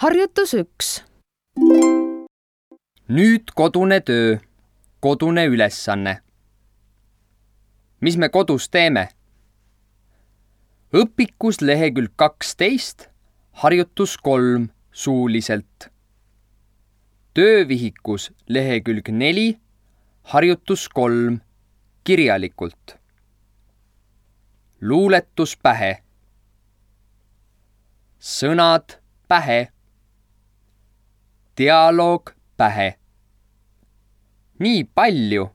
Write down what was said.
Harjutus 1. Nüüd kodune töö, kodune ülesanne. Mis me kodus teeme? Õpikus lehekülg 12, harjutus 3 suuliselt. Töövihikus lehekülg 4, harjutus 3 kirjalikult. Luuletus pähe. Sõnad pähe. Dialoog pähe. Nii palju.